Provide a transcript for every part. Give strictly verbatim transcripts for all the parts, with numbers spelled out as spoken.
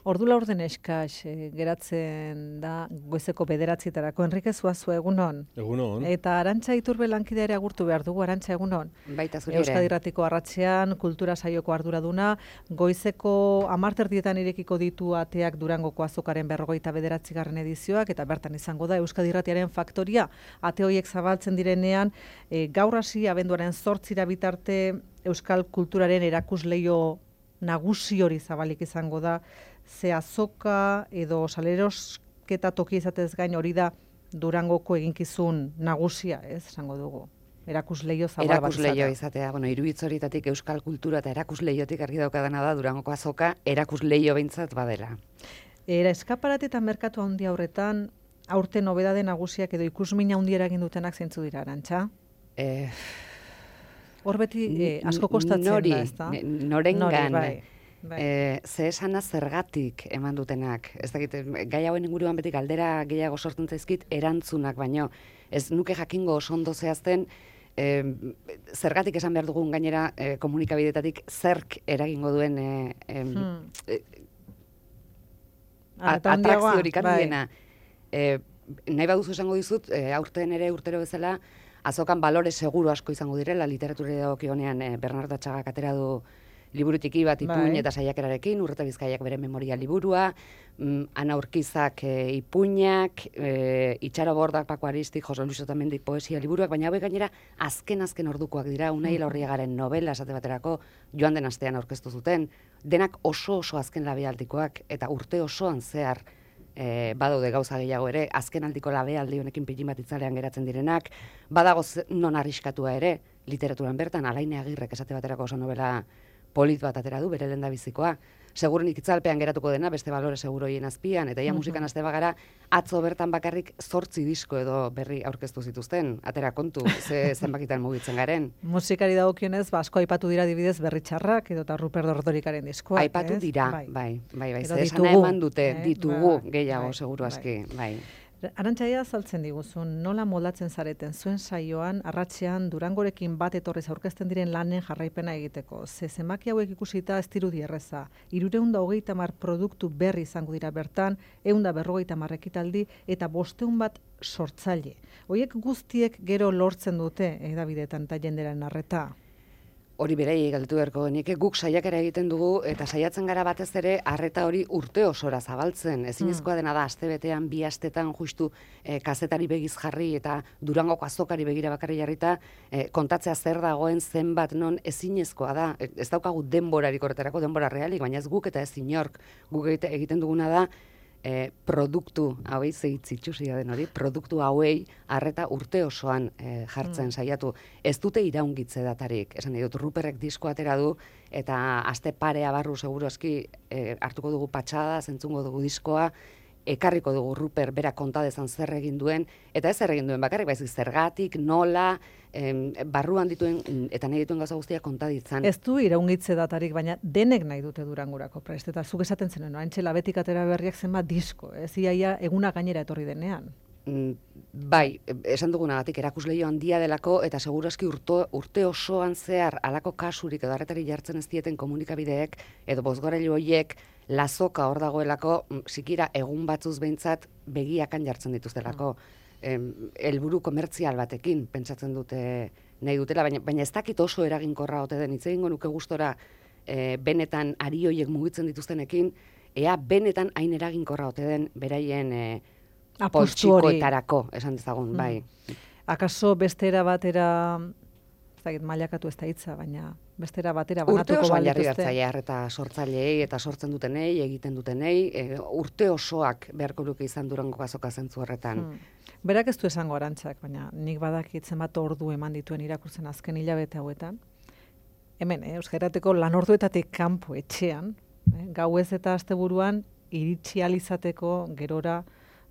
Ordu laurden eskaz, e, geratzen da goizeko bederatzietarako. Enrique Zuazu, egunon. Egunon. Eta Arantxa Iturbe lankidea ere agurtu behar dugu, Arantxa, egunon. Baita zure ere. Euskadi Irratiko arratsean, kultura saioko arduraduna, goizeko hamarterdietan irekiko ditu ateak Durangoko azokaren berrogeita bederatzigarren edizioak, eta bertan izango da Euskadi Irratiaren faktoria. Ate horiek zabaltzen direnean, e, gaur hasi abenduaren zortzira bitarte Euskal kulturaren erakusleio nagusi hori zabalik izango da, ze azoka edo salerosketa toki izatez gain hori da Durangoko eginkizun nagusia, ez, esango dugu. Erakusleio zabal bat izatea. Erakusleio izatea, bueno, iruditz horitatik euskal kultura eta erakusleiotik argi daukadana da Durangoko azoka erakusleio behintzat badela. Era eskaparate eta merkatu handi horretan, aurten nobedade nagusiak edo ikusmina handiera egin dutenak zeintzu dira, Arantxa? Eh, Hor beti eh, asko kostatzen nori, da, ezta? Norengan, bai, bai. Eh, ze esana zergatik eman dutenak. Ez dakit, gai hauen inguruan beti galdera gehiago sortzen zaizkit erantzunak, baino ez nuke jakingo oso ondo zehazten, eh, zergatik esan behar dugun gainera eh, komunikabidetatik zerk eragingo duen eh, eh, Hmm. eh, Ah, eta handiagoa, atrakziorik bai. handiena. Eh, nahi baduzu esango dizut, eh, aurten ere urtero bezala, azokan balore seguru asko izango direla, literatura dagokionean eh, Bernardo Atxagak atera du liburutiki bat ipuin Bai. eta saiakerarekin, Urreta Bizkaiak bere memoria liburua, mm, Ana Urkizak e, ipuinak, e, Itxaro Bordak, Pako Aristik, Jose Luis Otamendik poesia liburuak, baina hauek gainera azken-azken ordukoak dira, Unai Elorriagaren novela esate baterako joan den astean aurkeztu zuten, denak oso oso azken labealdikoak eta urte osoan zehar e, badaude gauza gehiago ere, azken aldiko labealdi honekin pilin bat itzalean geratzen direnak, badago ze- non arriskatua ere, literaturan bertan, Alaine Agirrek esate baterako oso novela polit bat atera du, bere lehendabizikoa. Segurunik itzalpean geratuko dena, beste balore seguroien azpian, eta ja musikan aste bagara, atzo bertan bakarrik zortzi disko edo berri aurkeztu zituzten, atera kontu, ze zenbakitan mugitzen garen. Musikari dagokionez, ba, asko aipatu dira adibidez Berritxarrak edo eta Rupert Ordorikaren diskoak, Aipatu ez? dira, Bai. bai, bai, bai, Edo ze esana ditugu, eman dute, eh? ditugu Bai, gehiago, bai, seguru bai. aski, bai. Arantxa, azaltzen diguzun, nola moldatzen zareten zuen saioan, arratsean Durangorekin bat etorrez aurkezten diren lanen jarraipena egiteko. Ze zenbaki hauek ikusita ez dirudi erreza. Hirurehun eta hogeita hamar produktu berri izango dira bertan, ehun eta berrogeita hamar ekitaldi eta bostehun bat sortzaile. Hoiek guztiek gero lortzen dute hedabideetan eta jendearen arreta. Hori berei galdetu beharko genike, guk saiakera egiten dugu eta saiatzen gara batez ere arreta hori urte osora zabaltzen. Ezinezkoa dena da astebetean, bi astetan justu eh, kazetari begiz jarri eta Durangoko azokari begira bakarri jarrita eh, kontatzea zer dagoen zenbat non ezinezkoa da. E, Ez daukagu denborarik horretarako, denbora realik, baina ez guk eta ez inork. Guk egite- egiten duguna da E, produktu hauei zeitzitsusia den hori, produktu hauei arreta urte osoan e, jartzen saiatu. Ez dute iraungitze datarik. Esan nahi dut, Ruperrek disko atera du, eta aste parea barru seguroski e, hartuko dugu patxada, zentzungo dugu diskoa, ekarriko dugu Ruper bera konta dezan zer egin duen, eta ez zer egin duen bakarrik, baizik zergatik, nola, em, barruan dituen eta nahi dituen gauza guztiak konta ditzan. Ez du iraungitze datarik, baina denek nahi dute Durangorako prest. Eta zuk esaten zenuen, haintxe labetik atera berriak zenbat disko, ez iaia eguna gainera etorri denean. Mm, Bai, esan dugunagatik erakusleio handia delako eta segurazki urto, urte osoan zehar halako kasurik edo arretari jartzen ez dieten komunikabideek edo bozgorailu horiek lazoka hor dagoelako, mm, sikira egun batzuz behintzat begiakan jartzen dituztelako. Em, helburu komertzial batekin pentsatzen dute nahi dutela, baina, baina ez dakit oso eraginkorra ote den, hitz egingo nuke gustora e, benetan ari horiek mugitzen dituztenekin, ea benetan hain eraginkorra ote den beraien e, Apustu hori. poltsikoetarako, esan dezagun, Mm. bai. Akaso bestera batera, ez dakit mailakatu ez da hitza, baina bestera batera Urte banatuko osoan jarri balituzte. bertzaile eta sortzaileei eta sortzen dutenei, egiten dutenei, e, urte osoak beharko luke izan Durangoko azoka zentzu horretan. Hmm. Berak ez du esango Arantzak, baina nik badakit zenbat ordu eman dituen irakurtzen azken hilabete hauetan. Hemen, eh, Euskal Irratiko lan orduetatik kanpo etxean, eh, gauez eta asteburuan iritsi ahal izateko gerora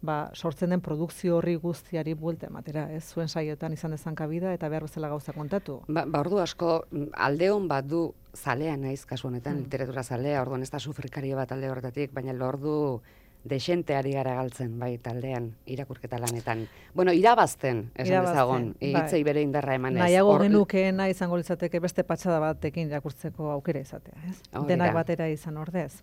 ba, sortzen den produkzio horri guztiari buelta ematera, ez? Zuen saioetan izan dezan kabida eta behar bezala gauza kontatu. Ba, ba ordu asko, mm, alde hon bat du zalea naiz kasu honetan, literatura zalea, orduan ez da sufrikario bat alde horretatik, baina lordu Dexenteari gara galtzen, bai, taldean, irakurketa lanetan. Bueno, irabazten, esan dezagon, hitzei bere indarra emanez. Nahiago genukeena izango litzateke beste patxada batekin irakurtzeko aukera izatea, ez? Denak batera izan ordez.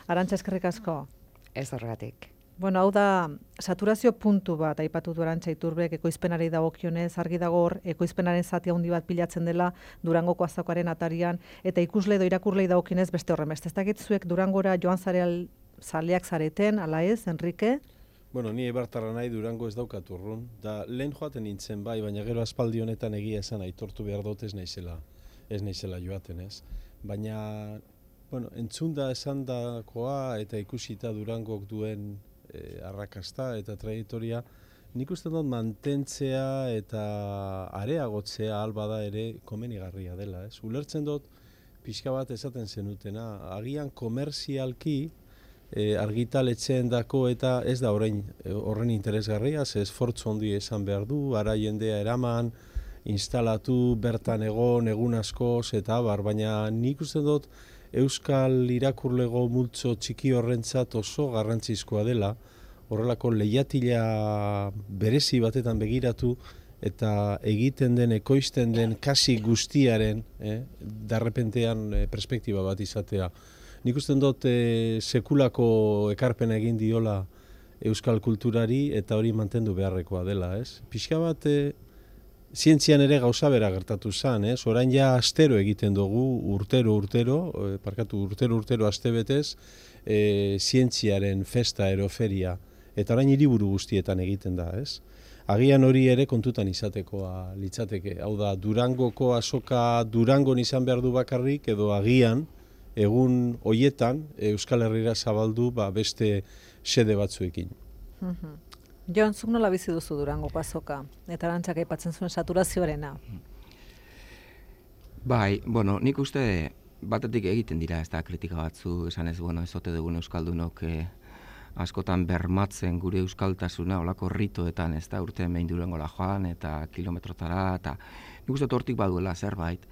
Arantxa, eskerrik asko. Ez horregatik. Bueno, hau da, saturazio puntu bat aipatu du Arantxa Iturbek ekoizpenari dagokionez, argi dago hor, ekoizpenaren zati handi bat pilatzen dela Durangoko azokaren atarian, eta ikusle edo irakurlei dagokionez beste horren beste. Ez dakit zuek Durangora joan zareal zaleak zareten, ala ez, Enrique? Bueno, ni eibartarra nahi Durango ez daukat urrun. Da, lehen joaten nintzen bai, baina gero aspaldi honetan egia esan aitortu behar dut ez naizela, ez naizela joaten, ez. Baina, bueno, entzunda esan dakoa eta ikusita Durangok duen eh, arrakasta eta trajektoria, nik uste dut mantentzea eta areagotzea albada ere komenigarria dela, ez. Ulertzen dut pixka bat esaten zenutena, agian komerzialki E, argitaletxeen dako eta ez da orain horren interesgarria, ze esfortzu handi esan behar du, ara jendea eraman, instalatu, bertan egon, egun askoz eta abar, baina nik uste dut Euskal irakurlego multzo txiki horrentzat oso garrantzizkoa dela, horrelako lehiatila berezi batetan begiratu eta egiten den, ekoizten den kasi guztiaren, eh, darrepentean eh, perspektiba bat izatea. Nik usten dut e, sekulako ekarpen egin diola euskal kulturari eta hori mantendu beharrekoa dela, ez? Pixka bat e, zientzian ere gauza bera gertatu zen, ez? Orain ja astero egiten dugu, urtero urtero, e, parkatu urtero urtero astebetez, e, zientziaren festa eroferia, eta orain hiriburu guztietan egiten da, ez? Agian hori ere kontutan izatekoa litzateke, hau da, Durangoko azoka Durangon izan behar du bakarrik, edo agian, egun hoietan Euskal Herrira zabaldu ba, beste sede batzuekin. Mm-hmm. Jon, zuk nola bizi duzu Durangoko azoka? Eta Arantxak aipatzen zuen saturazioarena. Bai, bueno, nik uste batetik egiten dira, ez da kritika batzu, esan ez, bueno, ez ote dugun Euskaldunok eh, askotan bermatzen gure euskaltasuna olako ritoetan, ez da, urtean behin Durangola joan eta kilometrotara, eta nik uste hortik baduela zerbait.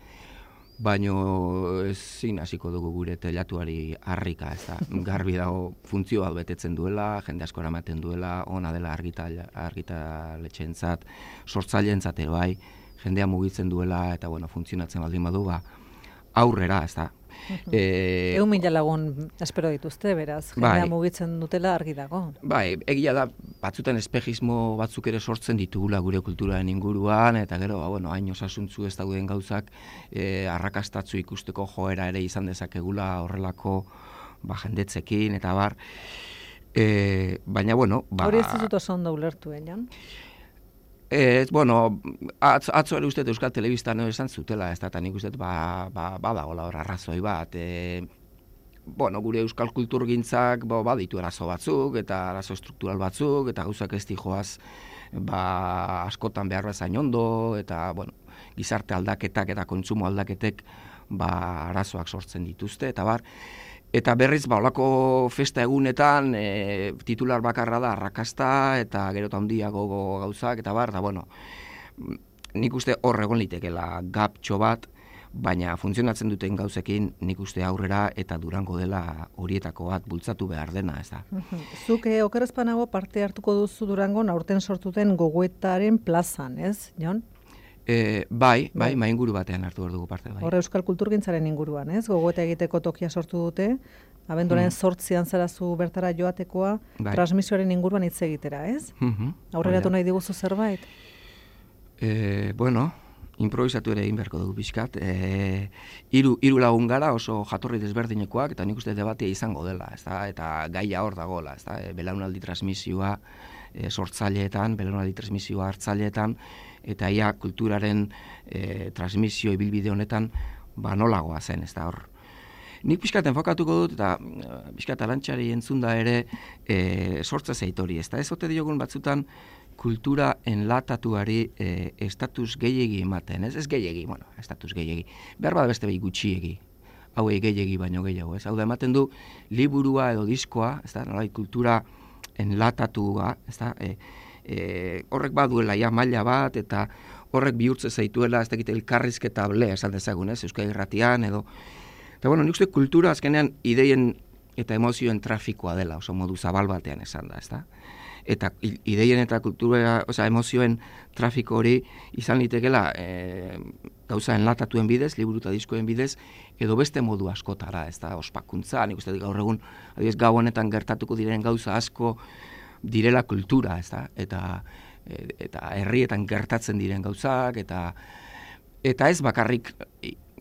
Baino ezin hasiko dugu gure telatuari harrika, ez da, garbi dago funtzio bat betetzen duela, jende asko eramaten duela, ona dela argitaletxeentzat, sortzaileentzat ere bai, jendea mugitzen duela eta bueno, funtzionatzen baldin badu, ba, aurrera, ez da. E, Egun mila lagun espero dituzte, beraz, jendea bai, mugitzen dutela argi dago. Bai, egia da, batzutan espejismo batzuk ere sortzen ditugula gure kulturaren inguruan, eta gero, ba, bueno, hain osasuntzu ez dauden gauzak e, arrakastatzu ikusteko joera ere izan dezakegula horrelako ba, jendetzekin, eta bar. E, baina, bueno... Ba, hori ez dut oso ondo ulertu, eh, Jon? Ez, bueno, atzo, atzo ere uste Euskal Telebistan esan zutela, ez da, eta nik uste ba, ba, badagoela hor arrazoi bat. E, bueno, gure euskal kulturgintzak ba, baditu arazo batzuk, eta arazo struktural batzuk, eta gauzak ez dijoaz ba, askotan behar bezain ondo, eta bueno, gizarte aldaketak eta kontsumo aldaketek ba, arazoak sortzen dituzte, eta bar, eta berriz, ba, olako festa egunetan, e, titular bakarra da, arrakasta, eta gero eta handiago gauzak, eta bar, da, bueno, nik uste hor egon litekela gaptxo bat, baina funtzionatzen duten gauzekin nik uste aurrera eta Durango dela horietako bat bultzatu behar dena, ez da. Zuk eh, okerrezpanago parte hartuko duzu Durangon aurten sortuten gogoetaren plazan, ez, Jon? E, bai, bai, bai, inguru batean hartu behar dugu parte. Bai. Hor euskal kulturgintzaren inguruan, ez? Gogoeta egiteko tokia sortu dute, abenduaren zortzian mm. zarazu bertara joatekoa, bai, transmisioaren inguruan hitz egitera, ez? Mm-hmm. Aurreratu nahi diguzu zerbait? E, bueno, improvisatu ere egin beharko dugu pixkat. E, hiru, hiru lagun gara oso jatorri desberdinekoak, eta nik uste debatea izango dela, ez da? Eta gaia hor dagoela, ez da? E, belaunaldi transmisioa e, sortzaileetan, belaunaldi transmisioa hartzaileetan, eta ia kulturaren e, transmisio ibilbide honetan ba nolagoa zen, ez da hor. Nik pixkat enfokatuko dut, eta pixkat Arantxari entzunda ere e, sortza zeitori, ez da ez ote diogun batzutan kultura enlatatuari e, estatus gehiegi ematen, ez ez gehiegi, bueno, estatus gehiegi, behar bada beste behi gutxiegi, hauei gehiegi baino gehiago, ez hau da ematen du liburua edo diskoa, ez da, nolai kultura enlatatua, ez da, e, E, horrek baduela ja maila bat eta horrek bihurtze zaituela ez dakit elkarrizketa ble esan dezagun, ez, Euskal Irratian edo eta bueno, nik uste kultura azkenean ideien eta emozioen trafikoa dela, oso modu zabal batean esan da, ezta? Eta ideien eta kultura, osea, emozioen trafiko hori izan litekela e, gauza enlatatuen bidez, liburu eta diskoen bidez, edo beste modu askotara, ez da, ospakuntza, nik uste gaur egun, adibidez, gau honetan gertatuko diren gauza asko direla kultura, ez da, eta, e, eta herrietan gertatzen diren gauzak, eta eta ez bakarrik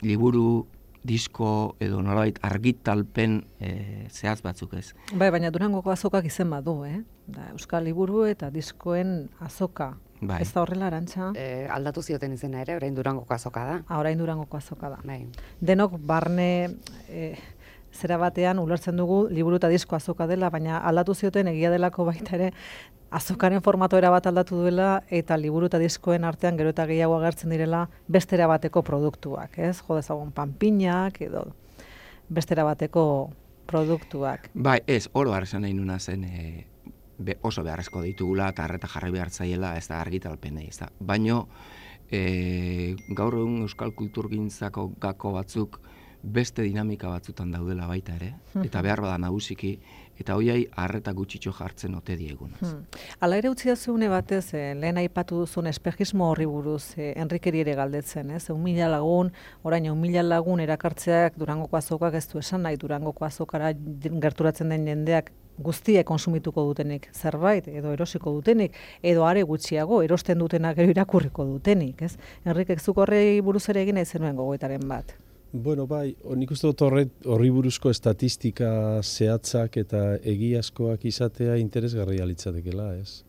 liburu, disko edo nolabait argitalpen e, zehaz batzuk ez. Bai, baina Durangoko azokak izen badu, eh? Da, Euskal Liburu eta diskoen azoka. Bai. Ez da horrela, Arantxa? E, aldatu zioten izena ere, orain Durangoko azoka da. Ah, orain Durangoko azoka da. Bai. Denok barne e, zera batean ulertzen dugu liburu eta disko azoka dela, baina aldatu zioten egia delako baita ere azokaren formatoera bat aldatu duela eta liburu eta diskoen artean gero eta gehiago agertzen direla bestera bateko produktuak, ez? Jo dezagun panpinak edo bestera bateko produktuak. Bai, ez, oro esan nahi nuna zen e, be, oso beharrezko ditugula eta arreta jarri behar zaiela, ez da argitalpenei, ez da. Baino, e, gaur egun euskal kulturgintzako gako batzuk beste dinamika batzutan daudela baita ere, eta behar bada nagusiki, eta hoiai arreta gutxitxo jartzen ote diegunaz. Hmm. Hala ere utzi dazuune batez, eh, lehen aipatu duzun espejismo horri buruz, eh, Enrikeri ere galdetzen, ez? Un mila lagun, orain un mila lagun erakartzeak Durangoko azokak ez du esan nahi, Durangoko azokara gerturatzen den jendeak guztiek konsumituko dutenik zerbait, edo erosiko dutenik, edo are gutxiago, erosten dutenak gero irakurriko dutenik, ez? Enrikek zuk horrei buruz ere egin nahi zenuen gogoetaren bat. Bueno, bai, nik uste dut horri buruzko estatistika zehatzak eta egiazkoak izatea interesgarria litzatekela, ez?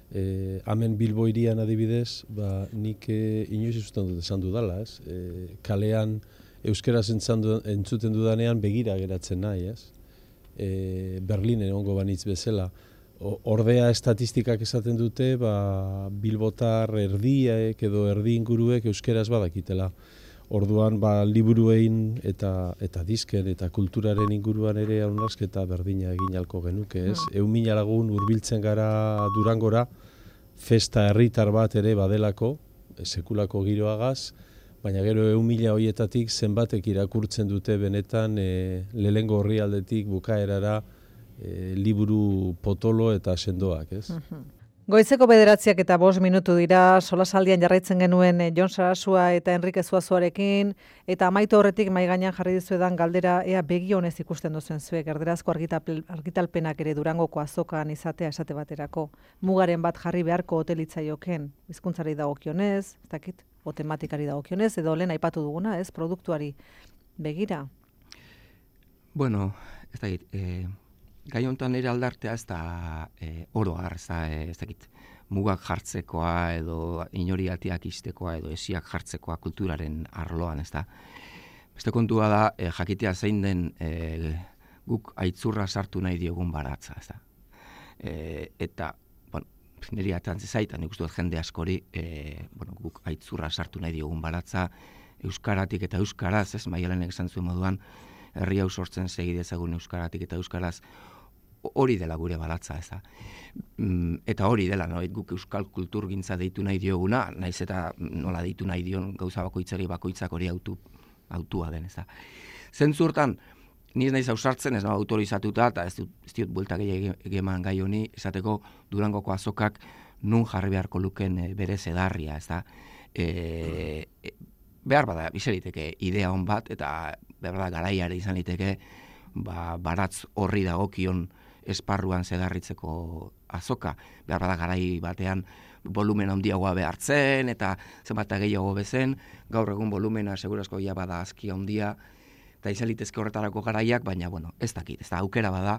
E, hemen Bilbo hirian adibidez, ba, nik e, inoiz usten dut esan dudala, ez? E, kalean euskaraz entzuten dudanean begira geratzen nahi, ez? E, Berlinen egongo banitz bezala. O, ordea estatistikak esaten dute, ba, Bilbotar erdiek edo erdi inguruek euskaraz badakitela. Orduan, ba, liburuein eta eta disken eta kulturaren inguruan ere hausnarketa berdina egin ahalko genuke, ez? Mm. Ehun mila lagun hurbiltzen gara Durangora, festa herritar bat ere badelako, sekulako giroagaz, baina gero ehun mila horietatik zenbatek irakurtzen dute benetan e, lehengo orrialdetik bukaerara e, liburu potolo eta sendoak, ez? Mm-hmm. Goizeko bederatziak eta bost minutu dira, solasaldian jarraitzen genuen Jon Sarasua eta Enrike Zuazuarekin, eta amaitu horretik mai gainean jarri dizuedan galdera ea begi honez ikusten duzuen zuek, erderazko argitalpenak ere Durangoko azokan izatea esate baterako. Mugaren bat jarri beharko hotelitzaioken, hizkuntzari dagokionez, ez dakit, o tematikari dagokionez, edo lehen aipatu duguna, ez, produktuari begira. Bueno, ez dakit, eh... gai honetan ere aldartea ez da e, oro har, ez da, e, ez dakit, mugak jartzekoa edo inoriatiak iztekoa edo esiak jartzekoa kulturaren arloan, ez da. Beste kontua da, e, jakitea zein den e, guk aitzurra sartu nahi diogun baratza, ez da. E, eta, bueno, niri atrantze zaitan, nik uste dut jende askori, e, bueno, guk aitzurra sartu nahi diogun baratza, euskaratik eta euskaraz, ez, Maialenek esan zuen moduan, herri hau sortzen segidezagun euskaratik eta euskaraz, hori dela gure baratza, ez da. Eta hori dela, no? Guk euskal kulturgintza deitu nahi dioguna, naiz eta nola deitu nahi dion gauza bakoitzari bakoitzak hori autu, autua den, ez da. Zentzurtan, niz naiz ausartzen, ez da, autorizatuta, eta ez, ez diot bueltak egeman gai honi, esateko Durangoko azokak nun jarri beharko luken e, bere zedarria, ez da. E, e, behar bada, bizeriteke idea hon bat, eta behar bada garaiare izan liteke, ba, baratz horri dagokion esparruan zedarritzeko azoka, behar bada garai batean volumen handiagoa behartzen, eta zenbat gehiago bezen, gaur egun volumena segurazko ja bada azki handia, eta izan litezke horretarako garaiak, baina, bueno, ez dakit, ez da aukera bada,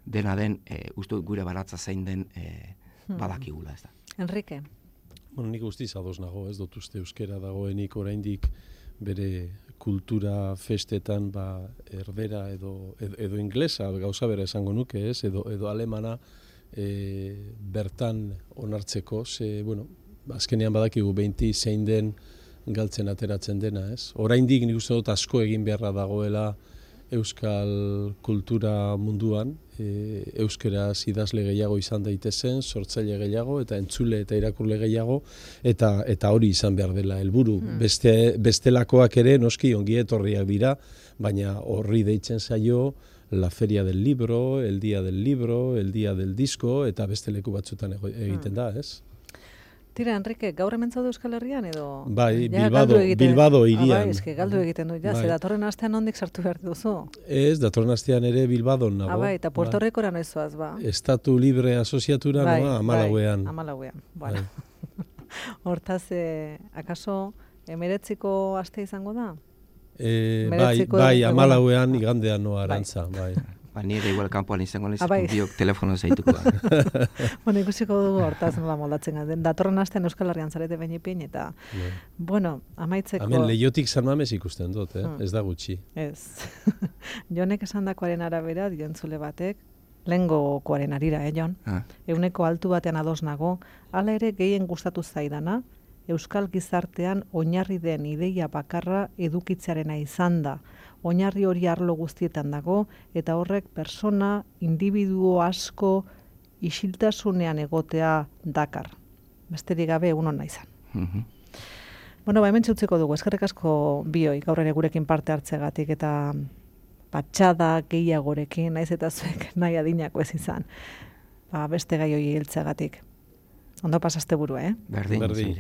dena den, e, uste gure baratza zein den e, badakigula, ez da. Enrique? Bueno, nik guztiz ados nago, ez dut uste euskera dagoenik oraindik bere kultura festetan ba, erdera edo, edo, edo inglesa, gauza bera esango nuke, ez, edo, edo alemana e, bertan onartzeko, ze, bueno, azkenean badakigu beinti zein den galtzen ateratzen dena, ez. Oraindik nik uste dut asko egin beharra dagoela euskal kultura munduan, e, euskeraz idazle gehiago izan daitezen, sortzaile gehiago eta entzule eta irakurle gehiago, eta eta hori izan behar dela helburu. Hmm. Beste bestelakoak ere noski ongi etorriak dira, baina horri deitzen zaio la feria del libro, el día del libro, el día del disco, eta beste leku batzutan ego- egiten da, ez? Tira, Enrique, gaur hemen zaude Euskal Herrian edo? Bai, Ja, Bilbado, galdu egiten- Bilbado Ah, hirian. bai, eske galdu egiten du, ja, Bai. ze datorren astean ondik sartu behar duzu. Ez, datorren astean ere Bilbadon nago. Ah, bai, eta Puerto Ricora noiz zoaz, ba. Estatu Libre Asoziatura noa amalauean. Bai, amalauean, bueno. Hortaz, eh, akaso, emeretziko aste izango da? E, bai, Hemeretziko bai, eguna. amalauean igandean noa arantza, bai. Ba, nire igual kanpoan izango Ah, bai. nizikun biok telefono zaituko da. Bueno, ikusiko dugu hortaz nola moldatzen gara. Datorren astean Euskal Herrian zarete bainipin, eta, Bai. bueno, amaitzeko... Hemen Leiotik San Mames ikusten dut, eh? Hmm. Ez da gutxi. Ez. Jonek esandakoaren arabera, diontzule batek, lehengokoaren arira, eh, Jon? Ah, Euneko altu batean ados nago, hala ere gehien gustatu zaidana, Euskal gizartean oinarri den ideia bakarra edukitzearena izan da. Oinarri hori arlo guztietan dago, eta horrek persona, individuo asko, isiltasunean egotea dakar. Besterik gabe egun hona izan. mhm. Bueno, ba, hemen txutziko dugu, eskerrik asko bioi, gaur ere gurekin parte hartzegatik, eta patxada gehiagorekin, naiz eta zuek nahi adinako ez izan. Ba, beste gai hori hiltzegatik. Ondo pasaste burua, eh? Berdin, Berdin. zure.